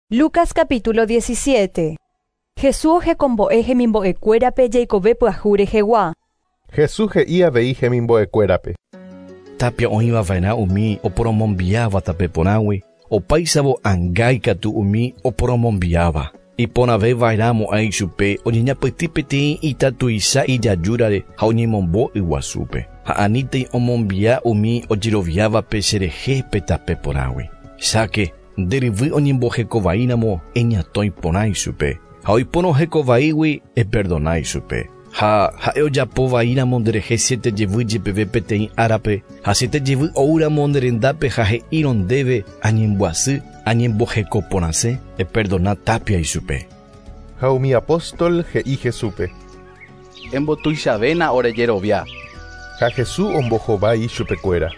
Lucas capítulo 17. Jesús ohekombo'e hemimbo'ekuérape jeikove pyahu rehegua. Jesús he'i avei hemimbo'ekuérape. Tapia oĩva va'erã umi oporomombiáva tape porãgui, opáichavo anga ikatu umi oporomombiáva. Iporãve va'erã mo'ã ichupe oñeñapytĩ peteĩ ita tuicha ijajúrare ha oñemombo yguasúpe, ha anítei omombia umi ojeroviávape cherehe pe tape porãgui. Cháke, nde ryvy oñembohekovaíramo eñatõi porã ichupe, ha oipórõ hekovaígui eperdona ichupe. Ha ha'e ojapo vaíramo nderehe siete jevy jepeve peteĩ árape, ha siete jevy oúramo nde rendápe ha he'írõ ndéve añembyasy, añemboheko porãse, eperdona tapia ichupe. Ha umi apóstol he'i Jesúspe. Embotuichavéna ore jerovia. Ha Jesús ombohovái ichupekuéra.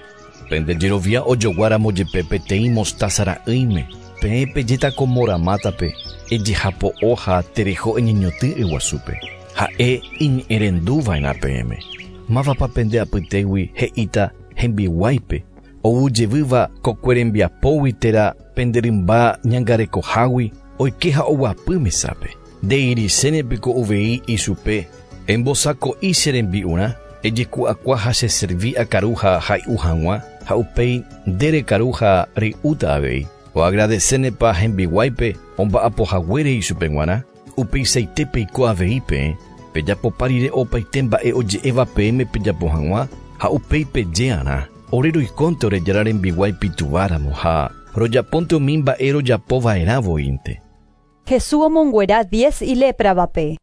Pende jerovia ojoguáramo jepe peteĩ mostaza ra'ỹime, peẽ pejéta ko moramátape, ejehapo'o ha tereho eñeñotỹ yguasúpe. Ha'e iñe'ẽrenduva'erã peẽme. Mávapa pende apytégui he'íta hembiguáipe, ou jevýva kokue rembiapógui térã pende rymba ñangarekohágui oike ha oguapy mesápe. Nde'irichéne piko uvei ichupe, Embosako'i che rembi'urã, ejeku'akua ha cheservi akaru ha hay'u hag̃ua, ha upéi nde rekaru ha rey'úta avei. Oagradesénepa hembiguáipe omba'apohaguére ichupe g̃uarã? Upeichaite peiko avei peẽ, pejapopa rire opaite mba'e oje'éva peẽme pejapo hag̃ua, ha upéi peje'arã, Ore roikónte ore Jára rembiguái pituváramo ha rojapónte umi mba'e rojapo va'erã voínte. Jesús omonguera diez ilépravape.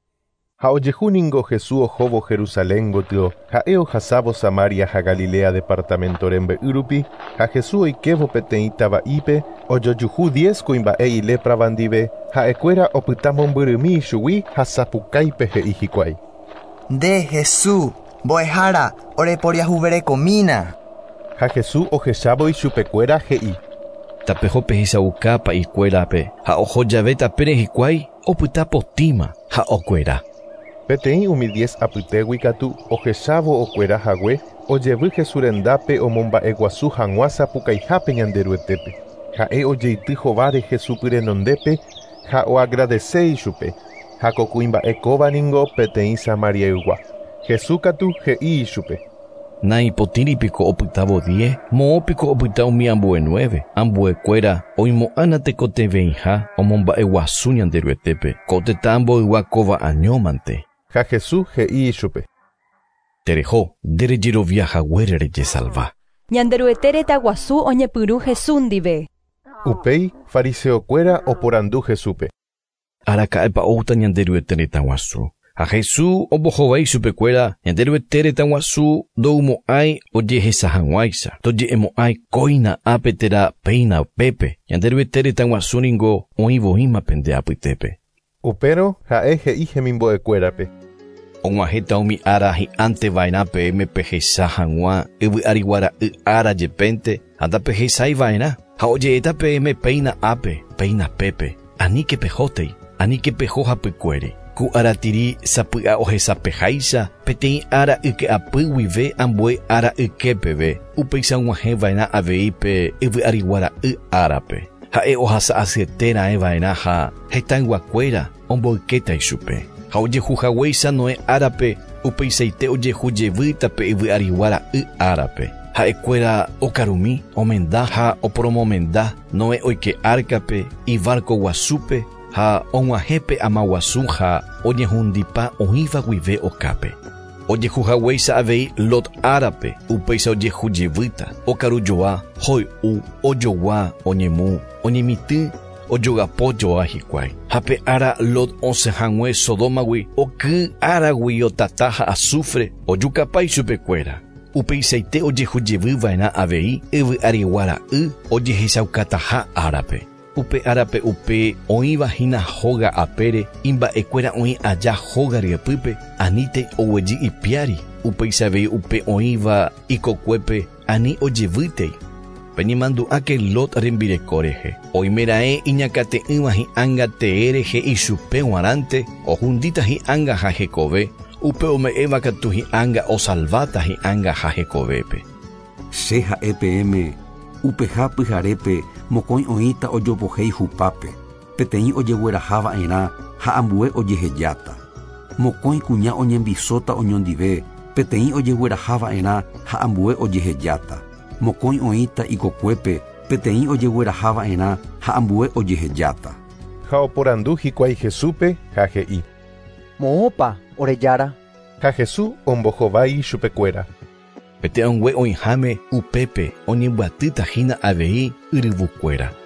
Ha ojehu ningo Hesu ohóvo Jerusalén gotyo, ha'e ohasávo Samaria ha Galilea departamento rembe'y rupi, ha Hesu oikévo peteĩ tava'ípe, ojojuhu diez kuimba'e iléprava ndive, ha'ekuéra opyta mombyrymi ichugui ha sapukáipe he'i hikuái. Nde, Hesu, Mbo'ehára, oreporiahuverekomína! Ha Hesu ohechávo ichupekuéra he'i. Tapeho pehechauka pa'ikuérape, ha oho jave tapére hikuái, opyta potĩma ha okuera. Peteĩ umi diez apytégui katu, ohechávo okuera hague, ojevy Jesús rendápe omomba'eguasu hag̃ua sapukaihápe Ñanderuetépe. Ha'e ojeity hováre Jesús py renondépe ha oagradese ichupe, ha ko kuimba'e kóva ningo peteĩ Samariaygua. Jesús katu he'i ichupe. Naipotĩri piko opytávo die? Moõ piko opyta umi ambue nueve? Ambuekuéra oimo'ã natekotevẽiha omomba'eguasu Ñanderuetépe, ko tetã mboygua kóva añómante. Ha Jesús he'i ichupe. Tereho, nde rejerovia haguére rejesalva. Ñanderuete retã guasu oñepyrũ Jesús ndive. Upéi, fariseokuéra oporandu Jesúspe. Araka'épa oúta Ñanderuete retã guasu? Ha Jesús ombohovái chupekuéra, Ñanderuete retã guasu ndoumo'ãi ojehecha hag̃uáicha, ndoje'emo'ãi kóina ápe térã péina upépe, Ñanderuete retã guasu ningo oĩ voíma pende apytépe. Upérõ ha'e he'i hemimbo'ekuérape. Og̃uahẽta umi ára hi'ãnte va'erã peẽme pehecha hag̃ua yvy arigua ra'y ára jepénte ha ndapehechái va'erã, ha oje'éta peẽme péina ápe, péina pépe, aníke pehótei, aníke peho hapykuéri. Ku aratiri sapy'a ohesapeháicha peteĩ ára yke'apy guive ambue ára yke peve, upéicha og̃uahẽ va'erã avei pe yvy arigua ra'y árape. Ha'e ohasa asyete raẽ va'erã ha hetãyguakuéra omboykéta ichupe. Ha ojehu haguéicha Noé árape, upeichaite ojehu jevýta pe yvy arigua ra'y árape. Ha'ekuéra okarumi, omenda ha oporomomenda, Noé oike árkape, ivárko guasúpe, ha og̃uahẽ pe ama guasu ha oñehundipa oĩva guive okápe. Ojehu haguéicha avei Lot árape, upéicha ojehu jevýta, okaru joa, hoy'u, ojogua, oñemu, oñemitỹ, ojogapo joa hikuái. Ha pe ára Lot osẽ hag̃ue Sodómagui, oky áragui otata ha asúfre, ojukapa ichupekuéra. Upeichaite ojehu jevy va'erã avei yvy arigua ra'y ojehechaukataha árape. Upe árape upe oĩva hína hóga apére, imba'ekuéra oĩ aja hóga ryepýpe, anítei oguejy ipiári, upéicha avei upe oĩva ikokuépe ani ojevýtei. Peñemandu'áke Lot rembireko rehe. Oimeraẽ iñakate'ỹva hi'ánga tee rehe ichupe g̃uarãnte, ohundíta hi'ánga ha hekove, upe ome'ẽva katu hi'ánga osalváta hi'ánga ha hekovépe. Che ha'e peẽme, upeha pyharépe mokõi oĩta ojopohéi hupápe. Peteĩ ojegueraha va'erã ha ambue ojehejáta. Mokõi kuña oñembisóta oñondive, peteĩ ojegueraha va'erã ha ambue ojehejáta. Mokõi oĩta ikokuépe, peteĩ ojegueraha va'erã ha ambue ojehejáta. Ha oporandu hikuái Jesúspe ha he'i. Moõpa, ore Jára. Ha Jesús ombohovái chupekuéra. Pe te'õngue oĩháme upépe oñembyatýta hína avei yryvukuéra.